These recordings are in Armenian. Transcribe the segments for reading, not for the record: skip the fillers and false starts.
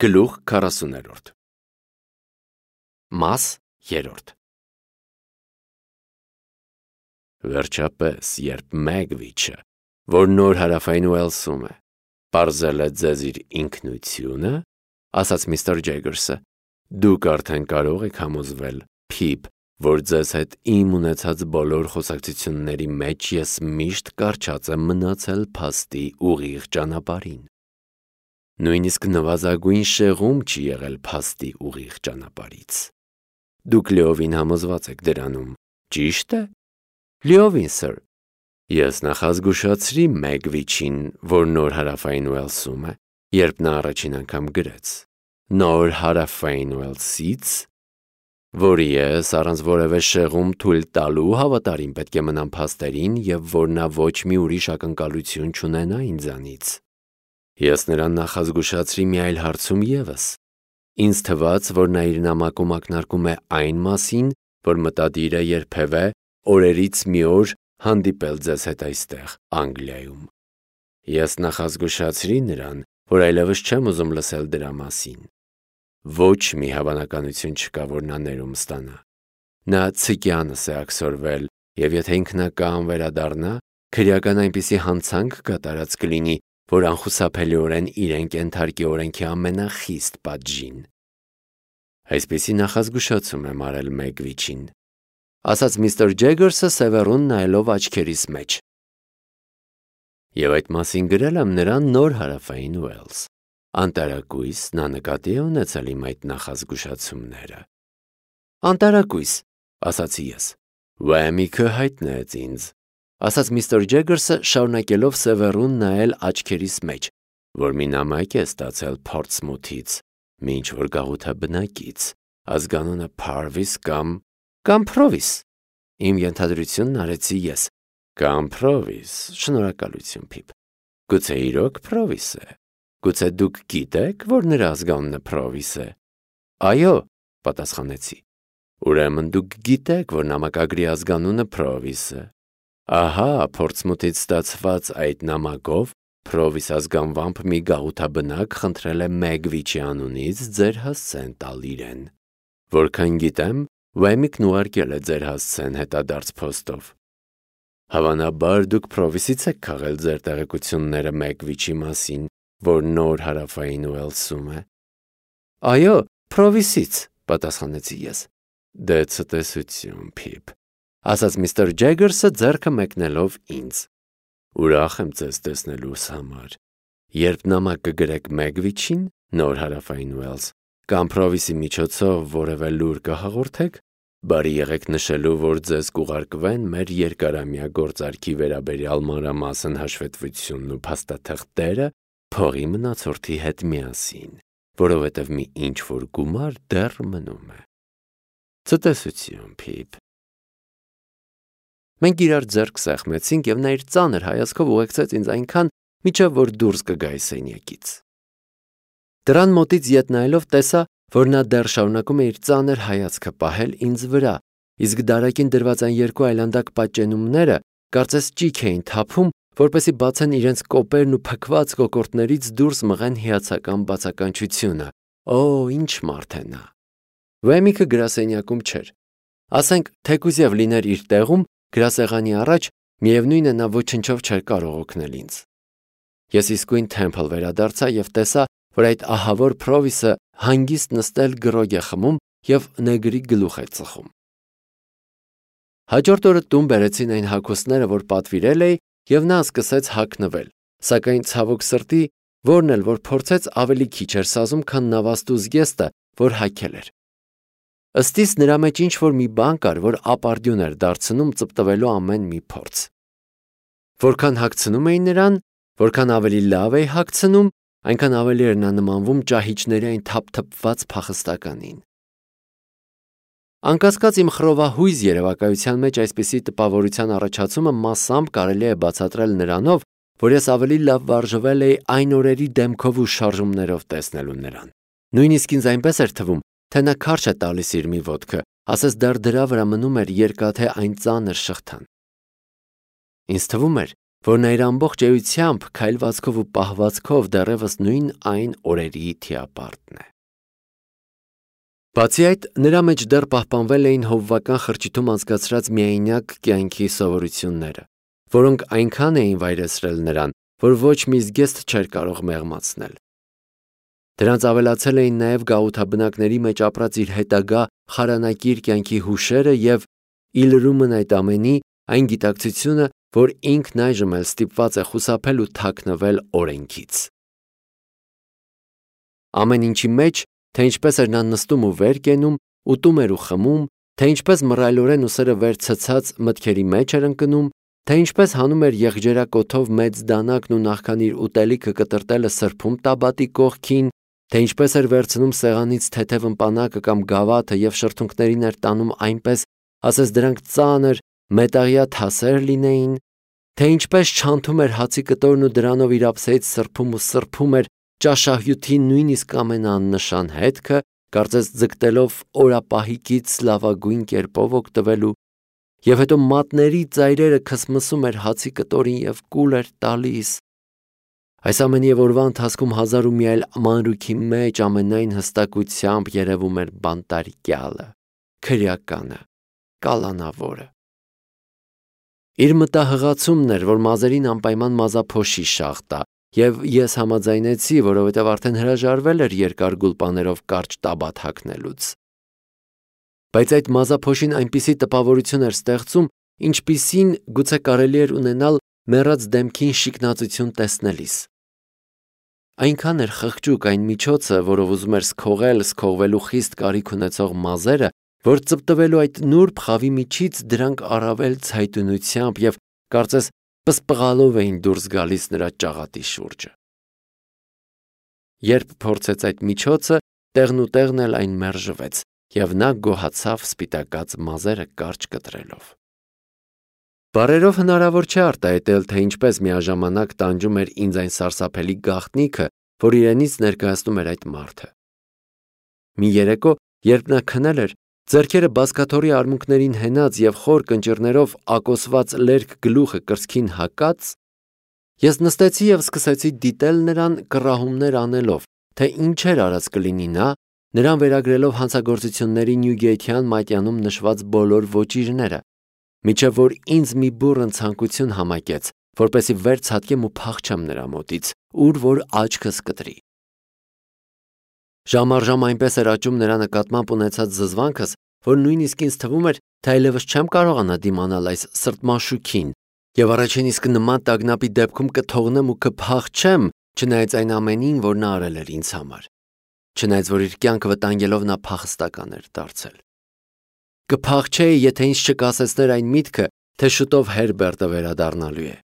Գլուխ 40 Մաս 3 Վերջապես, երբ Մեգվիչը, որ նոր հարավային Ուելսում է, պարզել է ձեզ իր ինքնությունը, ասաց միստր Ջեգերսը, դուք արդեն կարող եք համոզվել, Փիփ, որ ձեզ հետ իմ ունեցած բոլոր խոսակցությունների մեջ ես միշտ կառչած եմ մնացել փաստի ուղիղ ճանապարհին։ Նույնիսկ նվազագույն շեղում չի եղել փաստի ուղիղ ճանապարհից։ Դուք լիովին համոզված եք դրանում, ճի՞շտ է։ Լիովին, սըր։ Ես նախազգուշացրի Մեգվիչին, որ նոր հարավային Ուելսում է, երբ նա առաջին անգամ գրեց. նոր հարավային Ուելսից, որի ես առանց որևէ շեղում թույլ տալու հավատարիմ պետք է մնամ փաստերին և որ նա ոչ մի ուրիշ ակնկալություն չունենա ինձանից։ Ես նրան նախազգուշացրի մի այլ հարցում ևս։ Ինձ թվաց, որ նա իր նամակում ակնարկում է այն մասին, որ մտադիր է երբևէ օրերից մի օր հանդիպել ձեզ հետ այստեղ, Անգլիայում։ Ես նախազգուշացրի նրան, որ այլևս չեմ ուզում լսել դրա մասին։ Ոչ մի հավանականություն չկա, որ նա ներում ստանա։ Նա ցիկյանս է աքսորվել, և եթե ինքնակամ վերադառնա, քրեական այնպիսի հանցանք կատարած կլինի, որ անխուսափելիորեն իրեն կենթարկի օրենքի ամենախիստ պատժին։ Այսպիսի նախազգուշացում եմ արել Մեգվիչին, ասաց միստր Ջեգերսը սևեռուն նայելով աչքերիս մեջ։ Եվ այդ մասին գրել եմ նրան նոր հարավային Ուելս։ Անտարակույս նա նկատի է ունեցել իմ այդ նախազգուշացումները։ Անտարակույս, ասացի ես։ Վեմիքը հայտնեց ինձ, ասաց միստր Ջեգերսը շարունակելով սևեռուն նայել աչքերիս մեջ, որ մի նամակ է ստացել Փորտսմութից, մի ինչ-որ գաղութաբնակից, ազգանունը Փարվիս կամ Փրովիս։ Իմ ենթադրությունն արեցի ես։ Կամ Փրովիս, շնորհակալություն, Փիփ։ Գուցե իրոք Փրովիս է։ Գուցե դուք գիտեք, որ նրա ազգանունը Փրովիս է։ Այո, պատասխանեցի։ Ուրեմն դուք գիտեք, որ նամակագրի ազգանունը Փրովիս է։ Ահա, Փորտսմութից ստացված այդ նամակով Փրովիս ազգանվամբ մի գաղութաբնակ խնդրել է Մեգվիչի անունից ձեր հասցեն տալ իրեն։ Որքան գիտեմ, Վեմիկն ուղարկել է ձեր հասցեն հետադարձ փոստով։ Հավանաբար դուք Փրովիսից եք քաղել ձեր տեղեկությունները Մեգվիչի մասին, որ նոր հարավային Ուելսում է։ Այո, Փրովիսից, պատասխանեցի ես։ Դե ցտեսություն, Փիփ, ասաց միստր Ջեգերսը ձեռքը մեկնելով ինձ։ Ուրախ եմ ձեզ տեսնելուս համար։ Երբ նամակ կգրեք Մեգվիչին, նոր հարավային Ուելս, կամ Փրովիսի միջոցով որևէ լուր կհաղորդեք, բարի եղեք նշելու, որ ձեզ կուղարկվեն մեր երկարամյա գործարքի վերաբերյալ մանրամասն հաշվետվությունն ու փաստաթղթերը փողի մնացորդի հետ միասին, որովհետև մի ինչ-որ գումար դեռ մնում է։ Ցտեսություն, Փիփ։ Մենք իրար ձեռք սեղմեցինք, և նա իր ծանր հայացքով ուղեկցեց ինձ այնքան, մինչև որ դուրս կգայի սենյակից։ Դռան մոտից ետ նայելով տեսա, որ նա դեռ շարունակում է իր ծանր հայացքը պահել ինձ վրա, իսկ դարակին դրված այն երկու այլանդակ պատճենումները կարծես ճիք էին թափում, որպեսզի բացեն իրենց կոպերն ու փքված կոկորդներից դուրս մղեն հիացական բացականչությունը։ Օ, ինչ մարդ է նա։ Վեմիկը գրասենյակում չէր։ Ասենք, թեկուզև լիներ իր տեղում, գրասեղանի առաջ, միևնույն է նա ոչնչով չէր կարող օգնել ինձ։ Ես իսկույն Թեմփլ վերադարձա և տեսա, որ այդ ահավոր Փրովիսը հանգիստ նստել գրոգ է խմում և նեգրի գլուխ է ծխում։ Հաջորդ օրը տուն բերեցին այն հագուստները, որ պատվիրել էի, և նա սկսեց հագնվել, սակայն ցավոք սրտի, որն էլ որ փորձեց ավելի քիչ էր սազում, քան նավաստու զգեստը, որ հագել էր։ Ըստիս նրա մեջ ինչ-որ մի բան կար, որ ապարդյուն էր դարձնում ծպտվելու ամեն մի փորձ։ Որքան հագցնում էի նրան, որքան ավելի լավ էի հագցնում, այնքան ավելի էր նա նմանվում ճահիճների այն թափթփված փախստականին։ Անկասկած իմ խռովահույզ երևակայության մեջ այսպիսի տպավորության առաջացումը մասամբ կարելի է բացատրել նրանով, որ ես ավելի լավ վարժվել էի այն օրերի դեմքով ու շարժումներով տեսնելու նրան։ Նույնիսկ ինձ այնպես էր թվում, թե նա քարշ է տալիս իր մի ոտքը, ասես դեռ դրա վրա մնում էր երկաթե այն ծանր շղթան։ Ինձ թվում էր, որ նա իր ամբողջ էությամբ, քայլվածքով ու պահվածքով դեռևս նույն այն օրերի թիապարտն է։ Բացի այդ, նրա մեջ դեռ պահպանվել էին հովվական խրճիթում անցկացրած միայնակ կյանքի սովորությունները, որոնք այնքան էին վայրեցրել նրան, որ ոչ մի զգեստ չէր կարող մեղմացնել։ Դրանց ավելացել էին նաև գաղութաբնակների մեջ ապրած իր հետագա խարանակիր կյանքի հուշերը և ի լրումն այդ ամենի այն գիտակցությունը, որ ինքն այժմ էլ ստիպված է խուսափել ու թաքնվել օրենքից։ Ամեն ինչի մեջ, թե ինչպես էր նա նստում ու վեր կենում, ուտում էր ու խմում, թե ինչպես մռայլորեն ուսերը վեր ցցած մտքերի մեջ էր ընկնում, թե ինչպես հանում էր եղջերակոթով մեծ դանակն ու նախքան իր ուտելիքը կտրտելը սրբում տաբատի կողքին, թե ինչպես էր վերցնում սեղանից թեթև ըմպանակը կամ գավաթը և շրթունքներին էր տանում այնպես, ասես դրանք ծանր մետաղյա թասեր լինեին, թե ինչպես չանթում էր հացի կտորն ու դրանով իր ափսեից սրբում ու սրբում էր ճաշահյութի նույնիսկ ամենաաննշան հետքը, կարծես ձգտելով օրապահիկից լավագույն կերպով օգտվելու, և հետո մատների ծայրերը քսմսում էր հացի կտորին և կուլ էր տալիս։ Այս ամենի և օրվա ընթացքում հազար ու մի այլ մանրուքի մեջ ամենայն հստակությամբ երևում էր բանտարկյալը, քրեականը, կալանավորը։ Իր մտահղացումն էր, որ մազերին անպայման մազափոշի շաղ տա, և ես համաձայնեցի, որովհետև արդեն հրաժարվել էր երկար գուլպաներով կարճ տաբատ հագնելուց։ Բայց այդ մազափոշին այնպիսի տպավորություն էր ստեղծում, ինչպիսին գուցե կարելի էր ունենալ մեռած դեմքին շիկնածություն տեսնելիս։ Այնքան էր խղճուկ այն միջոցը, որով ուզում էր սքողել սքողվելու խիստ կարիք ունեցող մազերը, որ ծպտվելու այդ նուրբ խավի միջից դրանք առավել ցայտունությամբ և կարծես պսպղալով էին դուրս գալիս նրա ճաղատի շուրջը։ Երբ փորձեց այդ միջոցը, տեղնուտեղն էլ այն մերժվեց, և նա գոհացավ սպիտակած մազերը կարճ կտրելով։ Բառերով հնարավոր չէ արտահայտել, թե ինչպես միաժամանակ տանջում էր ինձ այն սարսափելի գաղտնիքը, որ իրենից ներկայացնում էր այդ մարդը։ Մի երեկո, երբ նա քնել էր, ձեռքերը բազկաթոռի արմունկներին հենած և խոր կնճիռներով ակոսված լերկ գլուխը կրծքին հակած, ես նստեցի և սկսեցի դիտել նրան կռահումներ անելով, թե ինչեր արած կլինի նա, նրան վերագրելով հանցագործությունների Նյուգեյթյան մատյանում նշված բոլոր ոճիրները, մինչև որ ինձ մի բուռն ցանկություն համակեց, որպեսզի վեր ցատկեմ ու փախչեմ նրա մոտից, ուր որ աչքս կտրի։ Ժամ առ ժամ այնպես էր աճում նրա նկատմամբ ունեցած զզվանքս, որ նույնիսկ ինձ թվում էր, թե այլևս չեմ կարողանա դիմանալ այս սրտմաշուքին, և առաջին իսկ նման տագնապի դեպքում կթողնեմ ու կփախչեմ, չնայած այն ամենին, որ նա արել էր ինձ համար, չնայած որ իր կյանքը վտանգելով նա փախստական էր դարձել։ Կփախչեի, եթե ինձ չկասեցներ այն միտքը, թե շուտով Հերբերտը վերադառնալու է։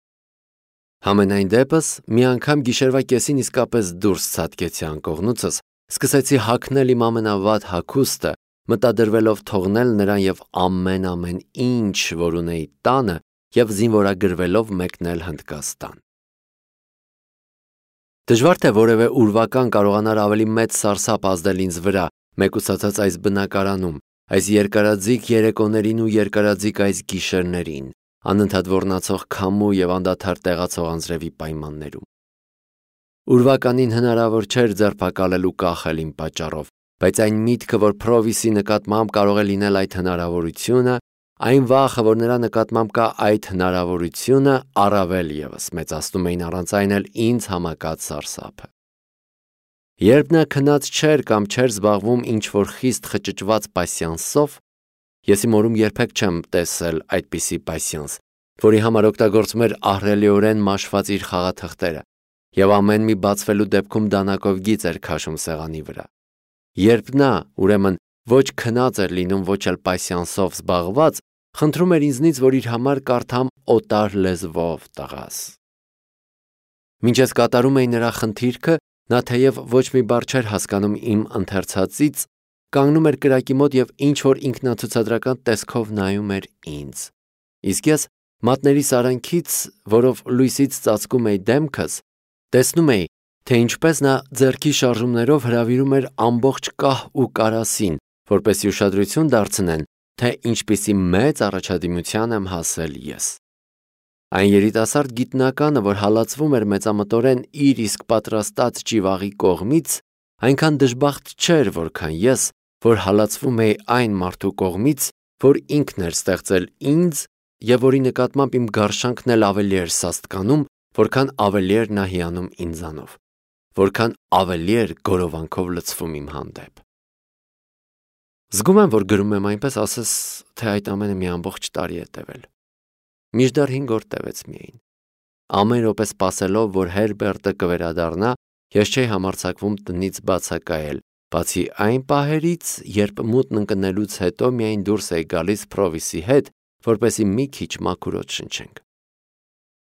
Համենայն դեպս, մի անգամ գիշերվա կեսին իսկապես դուրս ցատկեցի անկողնուցս, սկսեցի հագնել իմ ամենավատ հագուստը, մտադրվելով թողնել նրան և ամեն ինչ, որ ունեի տանը, և զինվորագրվելով մեկնել Հնդկաստան։ Դժվար թե որևէ ուրվական կարողանար ավելի մեծ սարսափ ազդել ինձ վրա, մեկուսացած այս բնակարանում, այս երկարաձիգ երեկոներին ու երկարաձիգ այս գիշերներին, անընդհատ ոռնացող քամու և անդադար տեղացող անձրևի պայմաններում։ Ուրվականին հնարավոր չէր ձերբակալել ու կախել իմ պատճառով, բայց այն միտքը, որ Փրովիսի նկատմամբ կարող է լինել այդ հնարավորությունը, այն վախը, որ նրա նկատմամբ կա այդ հնարավորությունը, առավել ևս մեծացնում էին առանց այն էլ ինձ համակած սարսափը։ Երբ նա քնած չէր կամ չէր զբաղվում ինչ-որ խիստ խճճված պասյանսով, ես իմ օրում երբեք չեմ տեսել այդպիսի պասյանս, որի համար օգտագործում էր ահռելիորեն մաշված իր խաղաթղթերը, և ամեն մի բացվելու դեպքում դանակով գիծ էր քաշում սեղանի վրա։ Երբ նա, ուրեմն, ոչ քնած էր լինում, ոչ էլ պասյանսով զբաղված, խնդրում էր ինձնից, որ իր համար կարդամ օտար լեզվով տղաս։ Մինչ ես կատարում էի նրա խնդիրքը, նա թեև ոչ մի բառ չէր հասկանում իմ ընթերցածից, կանգնում էր կրակի մոտ և ինչ-որ ինքնացուցադրական տեսքով նայում էր ինձ։ Իսկ ես մատների սարանքից, որով լույսից ծածկում էի դեմքս, տեսնում էի, թե ինչպես նա ձեռքի շարժումներով հրավիրում էր ամբողջ կահ ու կարասին, որպեսզի ուշադրություն դարձնեն, թե ինչպիսի մեծ առաջադիմության եմ հասել ես։ Այն երիտասարդ գիտնականը, որ հալածվում էր մեծամտորեն իր իսկ պատրաստած ճիվաղի կողմից, այնքան դժբախտ չէր, որքան ես, որ հալածվում էի այն մարդու կողմից, որ ինքն էր ստեղծել ինձ և որի նկատմամբ իմ գարշանքն էլ ավելի էր սաստկանում, որքան ավելի էր նա հիանում ինձանով, որքան ավելի էր գորովանքով լցվում իմ հանդեպ։ Զգում եմ, որ գրում եմ այնպես, ասես թե այդ ամենը մի ամբողջ տարի է տևել։ Մինչդեռ 5 օր տևեց միայն։ Ամեն րոպե սպասելով, որ Հերբերտը կվերադառնա, ես չէի համարձակվում տնից բացակայել, բացի այն պահերից, երբ մութն ընկնելուց հետո միայն դուրս էի գալիս Փրովիսի հետ, որպեսզի մի քիչ մաքուրոտ շնչենք։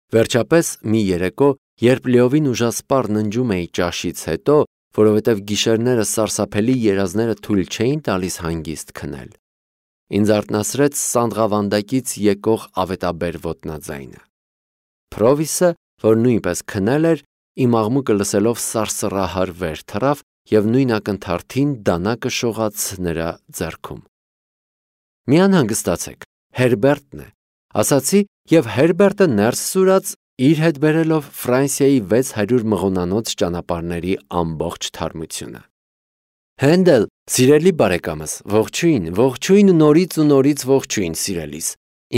Վերջապես մի երեկո, երբ լիովին ուժասպառ ննջում էի ճաշից հետո, որովհետև գիշերները սարսափելի երազները թույլ չէին տալիս հանգիստ քնել, ինձ արթնացրեց սանդղավանդակից եկող ավետաբեր ոտնաձայնը։ Փրովիսը, որ նույնպես քնել էր, իմ աղմուկը լսելով սարսռահար վեր թռավ և նույն ակնթարթին դանակը շողաց նրա ձեռքում։ Մի անհանգստացեք, Հերբերտն է, ասացի, և Հերբերտը ներս սուրաց, իր հետ բերելով Ֆրանսիայի 600 մղոնանոց ճանապարհների ամբողջ թարմությունը։ Հենդել, սիրելի բարեկամս, ողջույն, ողջույն, նորից ու նորից ողջույն, սիրելիս։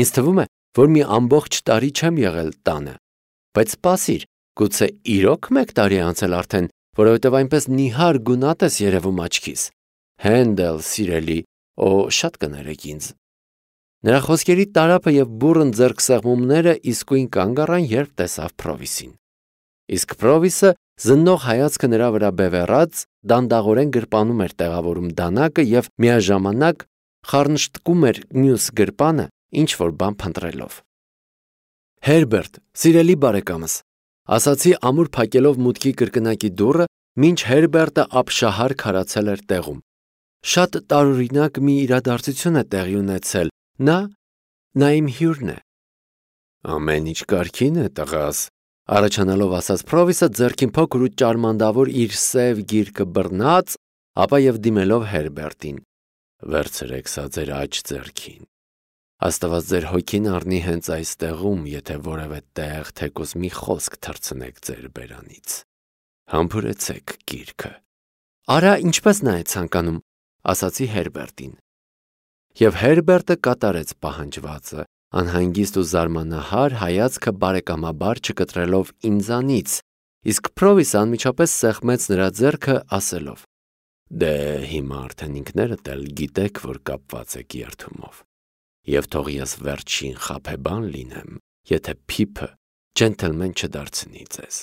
Ինձ թվում է, որ մի ամբողջ տարի չեմ եղել տանը, բայց սպասիր, գուցե իրոք 1 տարի է անցել արդեն, որովհետև այնպես նիհար գունատ ես երևում աչքիս։ Հենդել, սիրելի, շատ կներեք ինձ։ Նրա խոսքերի տարափը և բուռն ձեռքսեղմումները իսկույն կանգ առան, երբ տեսավ Փրովիսին։ Իսկ Փրովիսը, զննող հայացքը նրա վրա բևեռած, դանդաղորեն գրպանում էր տեղավորում դանակը և միաժամանակ խառնշտկում էր մյուս գրպանը, ինչ-որ բան փնտրելով։ Հերբերտ, սիրելի բարեկամս, ասացի ամուր փակելով մուտքի կրկնակի դուռը, մինչ Հերբերտը ապշահար քարացել էր տեղում։ Շատ տարօրինակ մի իրադարձություն է տեղի ունեցել, նա իմ հյուրն է։ Ամեն ինչ կարգին է, տղաս, առաջանալով ասաց Փրովիսը ձեռքին փոքր ու ճարմանդավոր իր սև գիրկը բռնած, ապա և դիմելով Հերբերտին։ Վերցրեք սա ձեր աջ ձեռքին։ Աստված ձեր հոգին առնի հենց այստեղում, եթե որևէ տեղ թեկուզ մի խոսք թռցնեք ձեր բերանից։ Համբուրեցեք գիրքը։ Արա, ինչպես նա է ցանկանում, ասացի Հերբերտին։ Եվ Հերբերտը կատարեց պահանջվածը, անհանգիստ ու զարմանահար հայացքը բարեկամաբար չկտրելով ինձանից, իսկ Փրովիսը անմիջապես սեղմեց նրա ձեռքը, ասելով. Դե հիմա արդեն ինքներդ էլ գիտեք, որ կապված եք երդումով։ Եվ թող ես վերջին խաբեբան լինեմ, եթե Փիփը ջենթլմեն չդարձնի ձեզ։